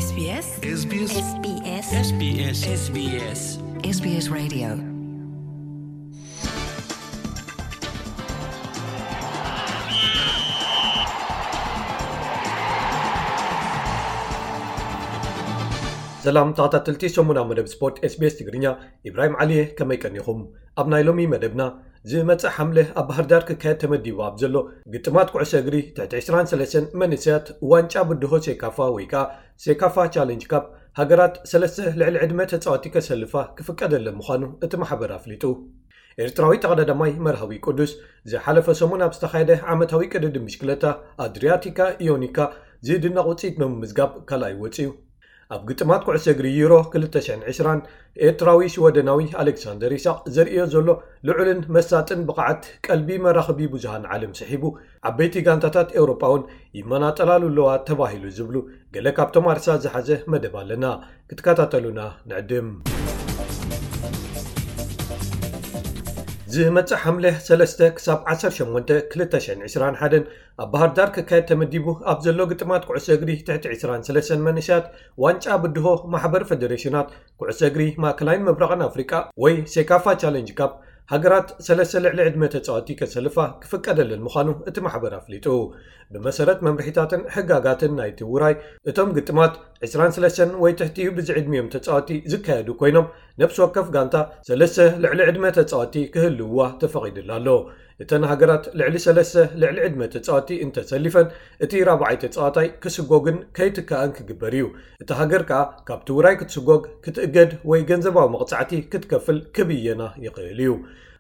SBS SBS SBS SBS SBS SBS Radio. ሰላም ተኸታተልቲ ሰሙናዊ መደብ ስፖርት SBS ትግርኛ፣ ኢብራሂም ዓሊየ፣ ከመይ ቀኒኹም? ኣብ ናይ ሎሚ መደብና፣ ዝመጽእ ሓምለ ኣብ ባህር ዳር ክካየድ ተመዲቡ ኣብ ዘሎ ግጥማት ኩዕሶ እግሪ ትሕቲ ዕስራን ሰለስተን መንእሰያት ዋንጫ ብድሆ ሴካፋ ወይ ከኣ ሴካፋ ቻለንጅ ካፕ ሃገራት ሰለስተ ልዕሊ ዕድመ ተጻወቲ ከሰልፋ ክፍቀደለን ምዃኑ እቲ ማሕበር ኣፍሊጡ። ኤርትራዊ ተቐዳዳማይ መርሃዊ ቅዱስ ዝሓለፈ ሰሙን ኣብ ዝተኻየደ ዓመታዊ ቅድድም ብሽክለታ ኣድሪያቲካ ኢዮኒካ ዝድነቕ ውጽኢት ብምምዝጋብ ካልኣይ ወጺኡ። ኣብ ግጥማት ኩዕሶ እግሪ ዩሮ ክልተ ሽሕን ዕስራን ኤርትራዊ ሽወደናዊ ኣሌክሳንደር ይስሐቅ ዘርእዮ ዘሎ ልዑልን መሳጥን ብቕዓት ቀልቢ መራኸቢ ብዙሃን ዓለም ስሒቡ፣ ዓበይቲ ጋንታታት ኤውሮጳ እውን ይመናጠላሉ ኣለዋ ተባሂሉ ዝብሉ ገለ ካብቶም ኣርሳ ዝሓዘ መደብ ኣለና። ክትከታተሉና ንዕድም። ዝመጽእ ሓምለ ሰለስተ ክሳብ ዓሰርተ ሸሞንተ ክልተ ሽሕን ዕስራን ሓደን ኣብ ባህር ዳር ክካየድ ተመዲቡ ኣብ ዘሎ ግጥማት ኩዕሶ እግሪ ትሕቲ ዕስራን ሰለስተን መንእሰያት ዋንጫ ብድሆ ማሕበር ፈደሬሽናት ኩዕሶ እግሪ ማእከላይን ምብራቕን ኣፍሪቃ ወይ ሴካፋ ቻለንጅ ካፕ ሃገራት ሰለስተ ልዕሊ ዕድመ ተጻወቲ ከሰልፋ ክፍቀደለን ምዃኑ እቲ ማሕበር ኣፍሊጡ። ብመሰረት መምርሒታትን ሕጋጋትን ናይቲ ውራይ፣ እቶም ግጥማት ዕስራን ሰለስተን ወይ ትሕቲኡ ብዝዕድሚኦም ተጻወቲ ዝካየዱ ኮይኖም፣ ነፍሲ ወከፍ ጋንታ ሰለስተ ልዕሊ ዕድመ ተጻወቲ ክህልውዋ ተፈቒዱላ ኣሎ። እተን ሃገራት ልዕሊ ሰለስተ ልዕሊ ዕድመ ተጻወቲ እንተሰሊፈን፣ እቲ ራብዓይ ተጻዋታይ ክስጎግን ከይትካእን ክግበር እዩ። እታ ሃገር ከኣ ካብቲ ውራይ ክትስጎግ፣ ክትእገድ ወይ ገንዘባዊ መቕጻዕቲ ክትከፍል ክብየና ይኽእል እዩ።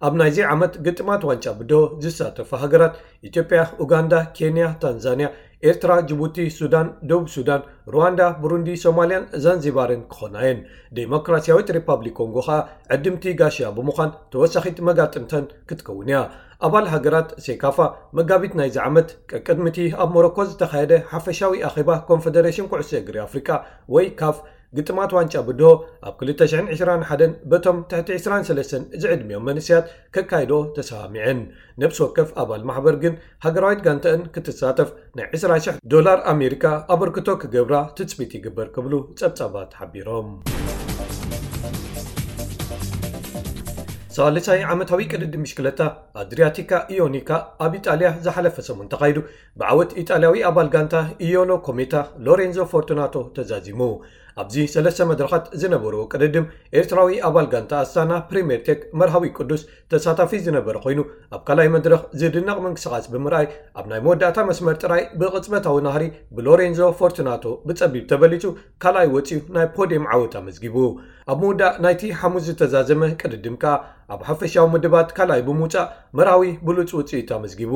ኣብ ናይዚ ዓመት ግጥማት ዋንጫ ብድሆ ዝሳተፋ ሃገራት ኢትዮጵያ፣ ኡጋንዳ፣ ኬንያ፣ ታንዛንያ፣ ኤርትራ፣ ጅቡቲ፣ ሱዳን፣ ደቡብ ሱዳን፣ ሩዋንዳ፣ ብሩንዲ፣ ሶማልያን ዛንዚባርን ክኾና እየን። ዴሞክራሲያዊት ሪፓብሊክ ኮንጎ ኸኣ ዕድምቲ ጋሻ ብምዃን ተወሳኺት መጋጥምተን ክትከውን እያ። ኣባል ሃገራት ሴካፋ መጋቢት ናይዚ ዓመት ቀቅድሚ እቲ ኣብ ሞሮኮ ዝተኻየደ ሓፈሻዊ ኣኼባ ኮንፈደሬሽን ኩዕሶ እግሪ ኣፍሪቃ ወይ ካፍ ግጥማት ዋንጫ ብድሆ ኣብ ክልተ ሽሕን ዕስራን ሓደን በቶም ትሕቲ ዕስራን ሰለስተን ዝዕድሚኦም መንእሰያት ከካይዶ ተሰማሚዐን። ነብሲ ወከፍ ኣባል ማሕበር ግን ሃገራዊት ጋንተአን ክትሳተፍ ናይ ዕስራ ሽሕ ዶላር ኣሜሪካ ኣበርክቶ ክገብራ ትጽቢት ይግበር ክብሉ ጸብጻባት ሓቢሮም። ሳልሳይ ዓመታዊ ቅድድም ብሽክለታ ኣድሪያቲካ ኢዮኒካ ኣብ ኢጣልያ ዝሓለፈ ሰሙን ተኻይዱ ብዓወት ኢጣልያዊ ኣባል ጋንታ ኢዮሎ ኮሜታ ሎሬንዞ ፎርቱናቶ ተዛዚሙ። ኣብዚ ሰለስተ መድረኻት ዝነበርዎ ቅድድም ኤርትራዊ ኣባል ጋንታ ኣስታና ፕሪምየር ቴክ መርሃዊ ቅዱስ ተሳታፊ ዝነበረ ኮይኑ፣ ኣብ ካልኣይ መድረኽ ዝድነቕ ምንቅስቓስ ብምርኣይ ኣብ ናይ መወዳእታ መስመር ጥራይ ብቕጽበታዊ ናህሪ ብሎሬንዞ ፎርቱናቶ ብጸቢብ ተበሊጹ ካልኣይ ወጺኡ ናይ ፖድየም ዓወት ኣመዝጊቡ። ኣብ ምውዳእ ናይቲ ሓሙስ ዝተዛዘመ ቅድድም ከኣ ኣብ ሓፈሻዊ ምድባት ካልኣይ ብምውጻእ መርሃዊ ብሉጽ ውጽኢት ኣመዝጊቡ።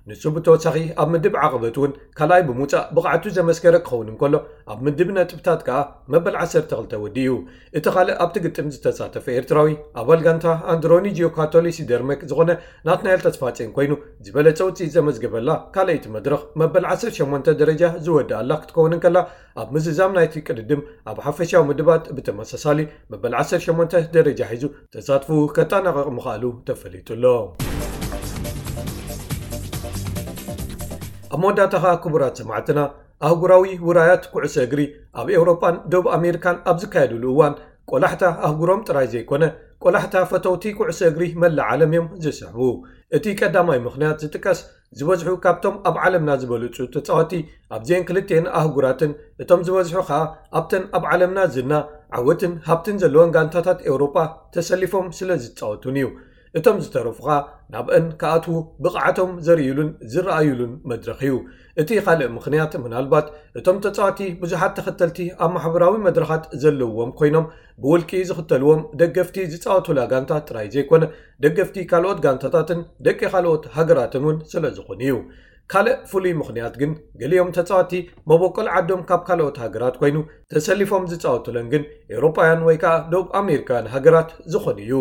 ንሱ ብተወሳኺ ኣብ ምድብ ዓቐበት እውን ካልኣይ ብምውጻእ ብቕዓቱ ዘመስከረ ክኸውን እንከሎ፣ ኣብ ምድብ ነጥብታት ከኣ መበል ዓሰርተ ክልተ ወዲኡ። እቲ ካልእ ኣብቲ ግጥም ዝተሳተፈ ኤርትራዊ ኣባል ጋንታ ኣንድሮኒ ጂዮካቶሊ ሲደርመክ ዝኾነ ናትናኤል ተስፋጼን ኮይኑ፣ ዝበለጸ ውጽኢት ዘመዝገበላ ካልኣይቲ መድረኽ መበል ዓሰርተ ሸሞንተ ደረጃ ዝወደኣላ ክትከውን እንከላ፣ ኣብ ምዝዛም ናይቲ ቅድድም ኣብ ሓፈሻዊ ምድባት ብተመሳሳሊ መበል ዓሰርተ ሸሞንተ ደረጃ ሒዙ ተሳትፎኡ ከጠናቕቕ ምኽኣሉ ተፈሊጡ ኣሎ። ኣብ መወዳእታ ኸኣ ክቡራት ሰማዕትና፣ ኣህጉራዊ ውራያት ኩዕሶ እግሪ ኣብ ኤውሮጳን ደቡብ ኣሜሪካን ኣብ ዝካየድሉ እዋን፣ ቆላሕታ ኣህጉሮም ጥራይ ዘይኮነ፣ ቆላሕታ ፈተውቲ ኩዕሶ እግሪ መላእ ዓለም እዮም ዝስሕቡ። እቲ ቀዳማይ ምኽንያት ዝጥቀስ፣ ዝበዝሑ ካብቶም ኣብ ዓለምና ዝበልጹ ተጻወቲ ኣብዚአን ክልቲአን ኣህጉራትን፣ እቶም ዝበዝሑ ኸኣ ኣብተን ኣብ ዓለምና ዝና፣ ዓወትን ሃብትን ዘለወን ጋንታታት ኤውሮጳ ተሰሊፎም ስለ ዝጻወቱን እዩ። እቶም ዝተረፉ ኸኣ ናብአን ክኣትዉ ብቕዓቶም ዘርእዩሉን ዝረኣዩሉን መድረኽ እዩ። እቲ ካልእ ምኽንያት ምናልባት እቶም ተጻወቲ ብዙሓት ተኸተልቲ ኣብ ማሕበራዊ መድረኻት ዘለውዎም ኮይኖም፣ ብውልቂ ዝኽተልዎም ደገፍቲ ዝጻወቱላ ጋንታ ጥራይ ዘይኮነ፣ ደገፍቲ ካልኦት ጋንታታትን ደቂ ካልኦት ሃገራትን እውን ስለ ዝኾኑ እዩ። ካልእ ፍሉይ ምኽንያት ግን፣ ገሊኦም ተጻወቲ መበቆል ዓዶም ካብ ካልኦት ሃገራት ኮይኑ፣ ተሰሊፎም ዝጻወቱለን ግን ኤውሮጳውያን ወይ ከኣ ደቡብ ኣሜሪካውያን ሃገራት ዝኾኑ እዩ።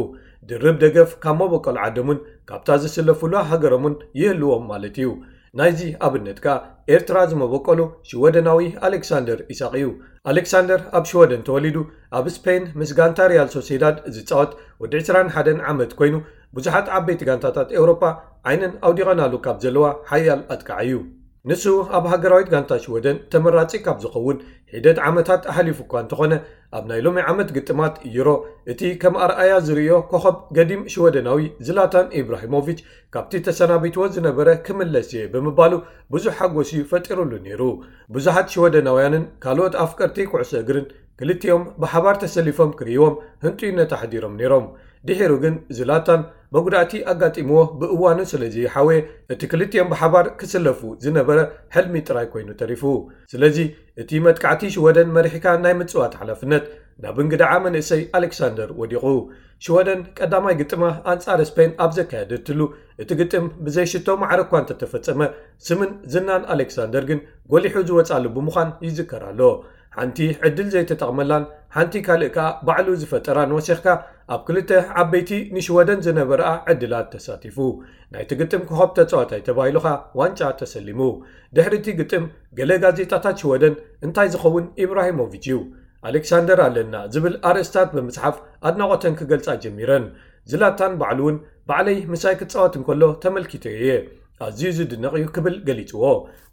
ድርብ ደገፍ ካብ መበቆል ዓዶምን ካብታ ዝስለፉላ ሃገሮምን ይህልዎም ማለት እዩ። ናይዚ ኣብነት ከኣ ኤርትራ ዝመበቆሉ ሽወደናዊ ኣሌክሳንደር ኢሳቕ እዩ። ኣሌክሳንደር ኣብ ሽወደን ተወሊዱ፣ ኣብ ስፔን ምስ ጋንታ ሪያል ሶሴዳድ ዝጻወት ወዲ ዕስራን ሓደን ዓመት ኮይኑ፣ ብዙሓት ዓበይቲ ጋንታታት ኤውሮጳ ዓይነን ኣውዲቐናሉ ካብ ዘለዋ ሓያል ኣጥቃዒ እዩ። ንሱ ኣብ ሃገራዊት ጋንታ ሽወደን ተመራጺ ካብ ዝኸውን ሒደት ዓመታት ኣሕሊፉ እኳ እንተኾነ፣ ኣብ ናይ ሎሚ ዓመት ግጥማት ዩሮ እቲ ከም ኣርኣያ ዝርእዮ ኮኸብ ገዲም ሽወደናዊ ዝላታን ኢብራሂሞቪች ካብቲ ተሰናቢትዎ ዝነበረ ክምለስ እየ ብምባሉ ብዙሕ ሓጎስ እዩ ፈጢሩሉ ነይሩ። ብዙሓት ሽወደናውያንን ካልኦት ኣፍቀርቲ ኩዕሶ እግርን ክልቲኦም ብሓባር ተሰሊፎም ክርእይዎም ህንጡይነት ኣሕዲሮም ነይሮም። ድሒሩ ግን ዝላታን መጉዳእቲ ኣጋጢምዎ ብእዋኑ ስለ ዘይሓወየ፣ እቲ ክልቲኦም ብሓባር ክስለፉ ዝነበረ ሕልሚ ጥራይ ኮይኑ ተሪፉ። ስለዚ እቲ መጥቃዕቲ ሽወደን መሪሕካ ናይ ምጽዋት ሓላፍነት ናብ እንግድዓ መንእሰይ ኣሌክሳንደር ወዲቑ። ሽወደን ቀዳማይ ግጥማ ኣንጻር ስፔን ኣብ ዘካየደትሉ፣ እቲ ግጥም ብዘይ ሽቶ ማዕረ እኳ እንተተፈጸመ፣ ስምን ዝናን ኣሌክሳንደር ግን ጎሊሑ ዝወጻሉ ብምዃን ይዝከር ኣሎ። ሓንቲ ዕድል ዘይተጠቕመላን ሓንቲ ካልእ ከኣ ባዕሉ ዝፈጠራን ወሲኽካ፣ ኣብ ክልተ ዓበይቲ ንሽወደን ዝነበረኣ ዕድላት ተሳቲፉ። ናይቲ ግጥም ኮኸብ ተጻዋታይ ተባሂሉ ከኣ ዋንጫ ተሰሊሙ። ድሕሪ እቲ ግጥም ገለ ጋዜጣታት ሽወደን እንታይ ዝኸውን ኢብራሂሞቪች እዩ፣ ኣሌክሳንደር ኣለና ዝብል ኣርእስታት ብምጽሓፍ ኣድናቖተን ክገልጻ ጀሚረን። ዝላታን ባዕሉ እውን ባዕለይ ምሳይ ክጻወት እንከሎ ተመልኪተዮ እየ። ኣዝዩ ዝድነቕ እዩ ክብል ገሊጽዎ።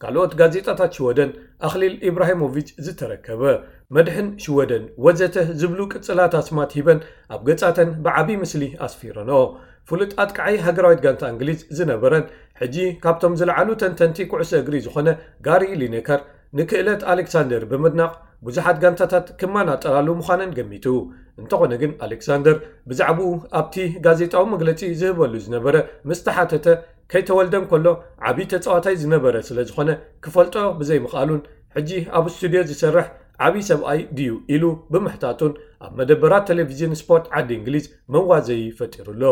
ካልኦት ጋዜጣታት ሽወደን ኣኽሊል ኢብራሂሞቪች ዝተረከበ መድሕን ሽወደን ወዘተ ዝብሉ ቅጽላት ኣስማት ሂበን ኣብ ገጻተን ብዓቢ ምስሊ ኣስፊረንኦ። ፍሉጥ ኣጥቃዓይ ሃገራዊት ጋንታ እንግሊዝ ዝነበረን ሕጂ ካብቶም ዝለዓሉ ተንተንቲ ኩዕሶ እግሪ ዝኾነ ጋሪ ሊኔከር ንክእለት ኣሌክሳንደር ብምድናቕ ብዙሓት ጋንታታት ክመናጠራሉ ምዃነን ገሚቱ። እንተኾነ ግን ኣሌክሳንደር ብዛዕባኡ ኣብቲ ጋዜጣዊ መግለጺ ዝህበሉ ዝነበረ ምስ ተሓተተ፣ ከይተወልደ እንከሎ ዓቢ ተጻዋታይ ዝነበረ ስለ ዝኾነ ክፈልጦ ብዘይምኽኣሉን ሕጂ ኣብ ስቱድዮ ዝሰርሕ ዓቢ ሰብኣይ ድዩ ኢሉ ብምሕታቱን ኣብ መደበራት ቴሌቪዥን ስፖርት ዓዲ እንግሊዝ መዋዘዪ ፈጢሩ ኣሎ።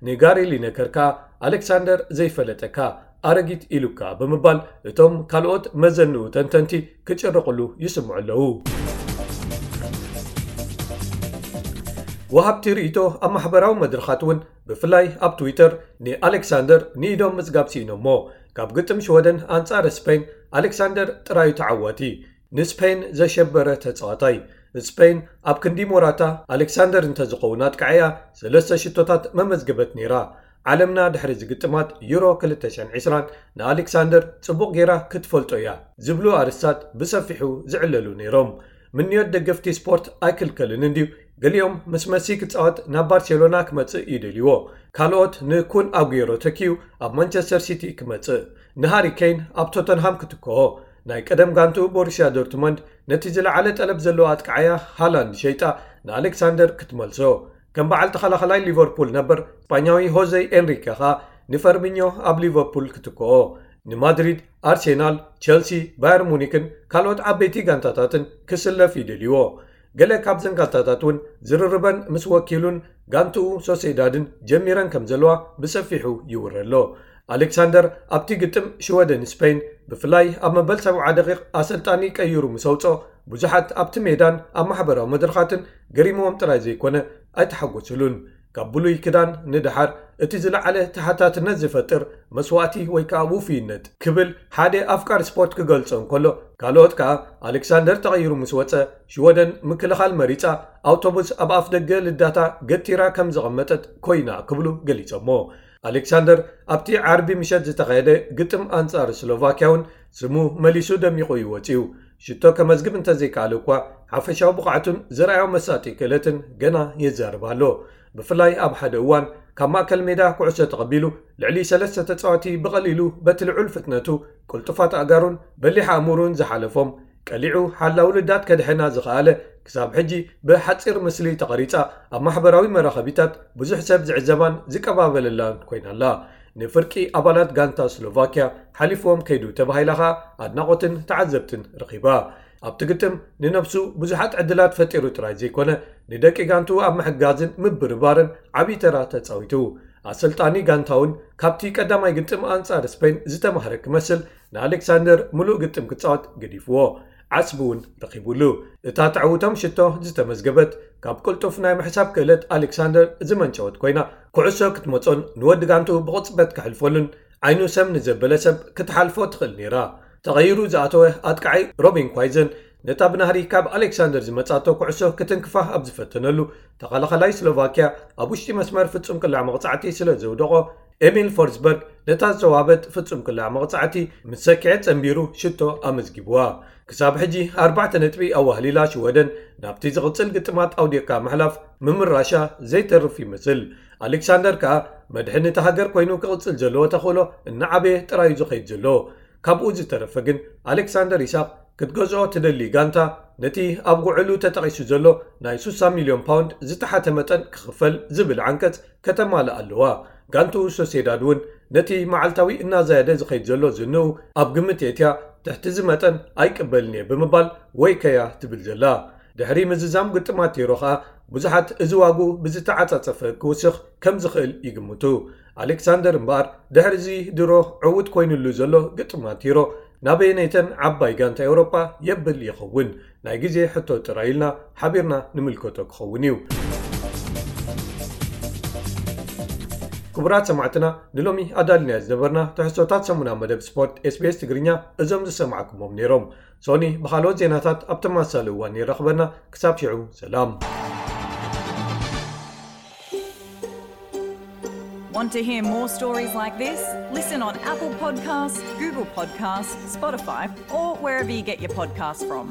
ንጋሪ ሊነከር ከኣ ኣሌክሳንደር ዘይፈለጠካ ኣረጊት ኢሉካ ብምባል እቶም ካልኦት መዘንኡ ተንተንቲ ክጭርቕሉ ይስምዑ ኣለዉ። ወሃብቲ ርእይቶ ኣብ ማሕበራዊ መድረኻት እውን ብፍላይ ኣብ ትዊተር ንኣሌክሳንደር ንኢዶም ምጽጋብ ስኢኖሞ። ካብ ግጥም ሽወደን ኣንጻር ስፔን ኣሌክሳንደር ጥራዩ ተዓዋቲ፣ ንስፔን ዘሸበረ ተጻዋታይ። ስፔን ኣብ ክንዲ ሞራታ ኣሌክሳንደር እንተዝኸውን ኣጥቃዒያ ሰለስተ ሽቶታት መመዝገበት ነይራ። ዓለምና ድሕሪ ዝግጥማት ዩሮ ክልተ ሽሕን ዕስራን ንኣሌክሳንደር ጽቡቕ ጌራ ክትፈልጦ እያ ዝብሉ ኣርእስታት ብሰፊሑ ዝዕለሉ ነይሮም። ምንዮት ደገፍቲ ስፖርት ኣይክልከልን እንድዩ። ገሊኦም ምስ መሲ ክጻወት ናብ ባርሴሎና ክመጽእ ይደልይዎ። ካልኦት ንኩን ኣጉየሮ ተኪኡ ኣብ ማንቸስተር ሲቲ ክመጽእ፣ ንሃሪ ኬን ኣብ ቶተንሃም ክትክኦ፣ ናይ ቀደም ጋንትኡ ቦሩስያ ዶርትመንድ ነቲ ዝለዓለ ጠለብ ዘለዎ ኣጥቃዓያ ሃላንድ ሸይጣ ንኣሌክሳንደር ክትመልሶ፣ ከም በዓል ተኸላኸላይ ሊቨርፑል ነበር ስጳኛዊ ሆዜ ኤንሪኬ ኸኣ ንፈርሚኞ ኣብ ሊቨርፑል ክትክኦ፣ ንማድሪድ፣ ኣርሴናል፣ ቸልሲ፣ ባየር ሙኒክን ካልኦት ዓበይቲ ጋንታታትን ክስለፍ ይደልይዎ። ገለ ካብዘን ጋንታታት እውን ዝርርበን ምስ ወኪሉን ጋንትኡ ሶሴዳድን ጀሚረን ከም ዘለዋ ብሰፊሑ ይውረ ኣሎ። ኣሌክሳንደር ኣብቲ ግጥም ሽወደን ስፔን ብፍላይ ኣብ መበል ሰብዓ ደቂቕ ኣሰልጣኒ ቀይሩ ምስ ኣውጽኦ ብዙሓት ኣብቲ ሜዳን ኣብ ማሕበራዊ መድረኻትን ገሪምዎም ጥራይ ዘይኮነ ኣይተሓጎስሉን። ካብ ብሉይ ክዳን ንደሓር እቲ ዝለዓለ ተሓታትነት ዝፈጥር መስዋእቲ ወይ ከኣ ውፉይነት ክብል ሓደ ኣፍቃሪ ስፖርት ክገልጾ እንከሎ፣ ካልኦት ከኣ ኣሌክሳንደር ተቐይሩ ምስ ወጸ ሽወደን ምክልኻል መሪጻ ኣውቶቡስ ኣብ ኣፍ ደገ ልዳታ ገቲራ ከም ዘቐመጠት ኮይና ክብሉ ገሊጾሞ። ኣሌክሳንደር ኣብቲ ዓርቢ ምሸት ዝተኻየደ ግጥም ኣንጻር ስሎቫኪያ እውን ስሙ መሊሱ ደሚቑ እዩ ወጺኡ። ሽቶ ከመዝግብ እንተዘይከኣለ እኳ ሓፈሻዊ ብቕዓቱን ዘርኣዮ መሳጢ ክእለትን ገና የዛርብ ኣሎ። ብፍላይ ኣብ ሓደ እዋን ካብ ማእከል ሜዳ ኩዕሶ ተቐቢሉ ልዕሊ ሰለስተ ተጻወቲ ብቐሊሉ በቲ ልዑል ፍጥነቱ፣ ቅልጡፋት ኣእጋሩን በሊሕ ኣእምሩን ዝሓለፎም ቀሊዑ ሓላው ልዳት ከድሕና ዝኸኣለ ክሳብ ሕጂ ብሓጺር ምስሊ ተቐሪጻ ኣብ ማሕበራዊ መራኸቢታት ብዙሕ ሰብ ዝዕዘባን ዝቀባበለላን ኮይና ኣላ። ንፍርቂ ኣባላት ጋንታ ስሎቫኪያ ሓሊፍዎም ከይዱ ተባሂላ ኸኣ ኣድናቖትን ተዓዘብትን ረኺባ። ኣብቲ ግጥም ንነብሱ ብዙሓት ዕድላት ፈጢሩ ጥራይ ዘይኮነ ንደቂ ጋንትኡ ኣብ ምሕጋዝን ምብርባርን ዓቢ ተራ ተጻዊቱ። ኣሰልጣኒ ጋንታ እውን ካብቲ ቀዳማይ ግጥም ኣንጻር ስፔን ዝተማህረ ክመስል ንኣሌክሳንደር ምሉእ ግጥም ክጻወት ገዲፍዎ። ዓስቢ እውን ረኺቡሉ። እታ ተዕውቶም ሽቶ ዝተመዝገበት ካብ ቅልጡፍ ናይ ምሕሳብ ክእለት ኣሌክሳንደር ዝመንጨወት ኮይና፣ ኩዕሶ ክትመጾን ንወዲ ጋንትኡ ብቕጽበት ክሕልፈሉን ዓይኑ ሰም ንዘበለ ሰብ ክትሓልፎ ትኽእል ነይራ። ተቐይሩ ዝኣተወ ኣጥቃዓይ ሮቢን ኳይዘን ነታ ብናህሪ ካብ ኣሌክሳንደር ዝመጻቶ ኩዕሶ ክትንክፋ ኣብ ዝፈተነሉ፣ ተኸላኸላይ ስሎቫኪያ ኣብ ውሽጢ መስመር ፍጹም ቅላዕ መቕጻዕቲ ስለ ዘውደቖ፣ ኤሚል ፎርስበርግ ነታ ዝተዋህበት ፍጹም ክላዕ መቕጻዕቲ ምስ ሰኪዐ ጸንቢሩ ሽቶ ኣመዝጊብዋ። ክሳብ ሕጂ ኣርባዕተ ነጥቢ ኣዋህሊላ ሽወደን ናብቲ ዝቕጽል ግጥማት ኣውዲቕካ ምሕላፍ ምምራሻ ዘይተርፍ ይመስል። ኣሌክሳንደር ከኣ መድሕን እታ ሃገር ኮይኑ ክቕጽል ዘለዎ ተኽእሎ እናዓበየ ጥራይ እዩ ዝኸይድ ዘሎ። ካብኡ ዝተረፈ ግን ኣሌክሳንደር ኢሳቕ ክትገዝኦ ትደሊ ጋንታ ነቲ ኣብ ጉዕሉ ተጠቒሱ ዘሎ ናይ ሱሳ ሚልዮን ፓውንድ ዝተሓተ መጠን ክኽፈል ዝብል ዓንቀጽ ከተማልእ ኣለዋ። ጋንቱ ሶሴዳድ እውን ነቲ መዓልታዊ እናዛየደ ዝኸይድ ዘሎ ዝንኡ ኣብ ግምት የእትያ ትሕቲ እዚ መጠን ኣይቅበልን እየ ብምባል ወይ ከያ ትብል ዘላ። ድሕሪ ምዝዛም ግጥማት ቲሮ ኸኣ ብዙሓት እዚ ዋጉ ብዝተዓጻጸፈ ክውስኽ ከም ዝኽእል ይግምቱ። ኣሌክሳንደር እምበኣር ድሕሪ እዚ ድሮ ዕዉት ኮይኑሉ ዘሎ ግጥማት ቲሮ ናበየነይተን ዓባይ ጋንታ ኤውሮጳ የብል ይኸውን? ናይ ግዜ ሕቶ ጥራይ ኢልና ሓቢርና ንምልከቶ ክኸውን እዩ። ክቡራት ሰማዕትና፣ ንሎሚ ኣዳልናዮ ዝነበርና ትሕዝቶታት ሰሙና መደብ ስፖርት SBS ትግርኛ እዞም ዝሰማዕኩሞም ነይሮም። ሶኒ ብኻልኦት ዜናታት ኣብ ተመሳሳሊ እዋን ይረኽበና። ክሳብ ሽዑ ሰላም። Want to hear more stories like this? Listen on Apple Podcasts, Google Podcasts, Spotify, or wherever you get your podcasts from.